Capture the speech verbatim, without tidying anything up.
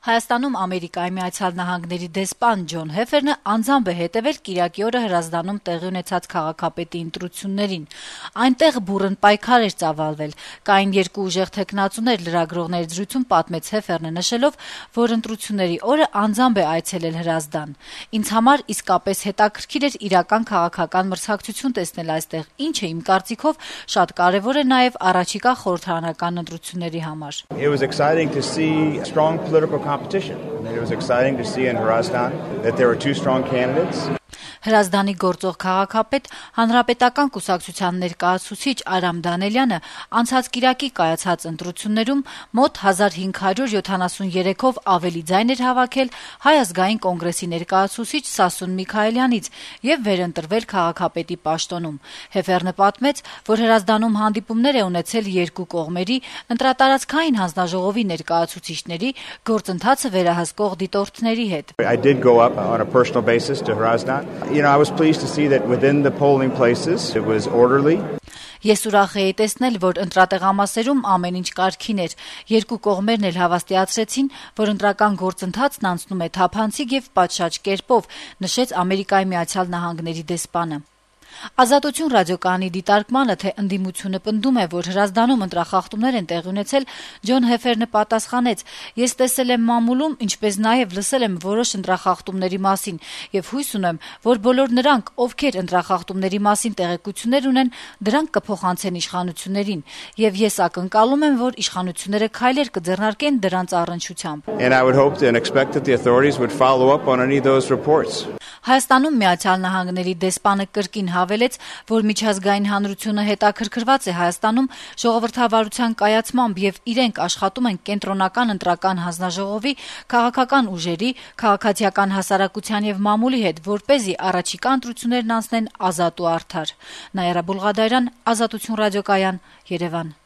Հայաստանում Ամերիկայի Միացյալ Նահանգների դեսպան Ջոն Հեֆերնը անձամբ է հետևել կիրակի օրը Հրազդանում տեղի ունեցած քաղաքապետի ընտրություններին։ Այնտեղ բուռն պայքար էր ծավալվել։ Կային երկու ուժեղ թեկնածուներ, լրագրողների զրույցում պատմեց Հեֆերնը, նշելով, որ ընտրությունների օրը անձամբ է այցելել Հրազդան։ Ինձ համար իսկապես հետաքրքիր էր իրական քաղաքական մրցակցություն տեսնել այստեղ, ինչը իմ կարծիքով շատ կարևոր է նաև առաջիկա խորհրդարանական ընտրությունների համար։ It was exciting to see strong political competition. It was exciting to see in Hrazdan that there were two strong candidates. Հրազդանի գործող քաղաքապետ Հանրապետական կուսակցության ներկայացուցիչ Արամ Դանելյանը անցած կիրակի կայացած ընտրություններում մոտ հազար հինգ հարյուր յոթանասուներեքով ավելի ձայն էր հավաքել Հայ ազգային կոնգրեսի ներկայացուցիչ Սասուն Միքայելյանից եւ վերընտրվել քաղաքապետի պաշտոնում։ Հեֆերնը պատմեց, որ Հրազդանում հանդիպումներ է ունեցել երկու կողմերի ընտրատարածքային հանձնաժողովի ներկայացուցիչների, գործընթացը վերահսկող դիտորդների հետ։ I did go up on a personal basis to Hrazdan. You know, I was pleased to see that within the polling places it was orderly. Ես ուրախ էի տեսնել, որ ընտրատեղամասերում ամեն ինչ կարգին էր։ Երկու կողմերն էլ հավաստիացրեցին, որ ընտրական գործընթացն անցնում է թափանցիկ եւ պատշաճ կերպով, նշեց Ամերիկայի Միացյալ Նահանգների դեսպանը։ Ազատություն ռադիոկայանի դիտարկմանը, թե ընդդիմությունը պնդում է, որ Հրազդանում ընտրախախտումներ են տեղի ունեցել, Ջոն Հեֆերնը պատասխանեց. «Ես տեսել եմ մամուլում, ինչպես նաև լսել եմ որոշ ընտրախախտումների մասին եւ հույս ունեմ, որ բոլոր նրանք, ովքեր ընտրախախտումների մասին տեղեկություններ ունեն, դրանք կփոխանցեն իշխանություններին, եւ ես ակնկալում եմ, որ իշխանությունները քայլեր կձեռնարկեն դրանց առնչությամբ»։ And I would hope and expect that the authorities would follow up on any of those reports. Հայաստանում Միացյալ Նահանգների դեսպանը կրկին հավելեց, որ միջազգային հանրությունը հետաքրքրված է Հայաստանում ժողովրդավարության կայացմամբ եւ իրենք աշխատում են կենտրոնական ընտրական հանձնաժողովի, քաղաքական ուժերի, քաղաքացիական հասարակության եւ մամուլի հետ, որպեսզի առաջիկա ընտրություններն անցնեն ազատ ու արդար։ Նաիրա Բուլղադարյան, Ազատություն ռադիոկայան, Երևան։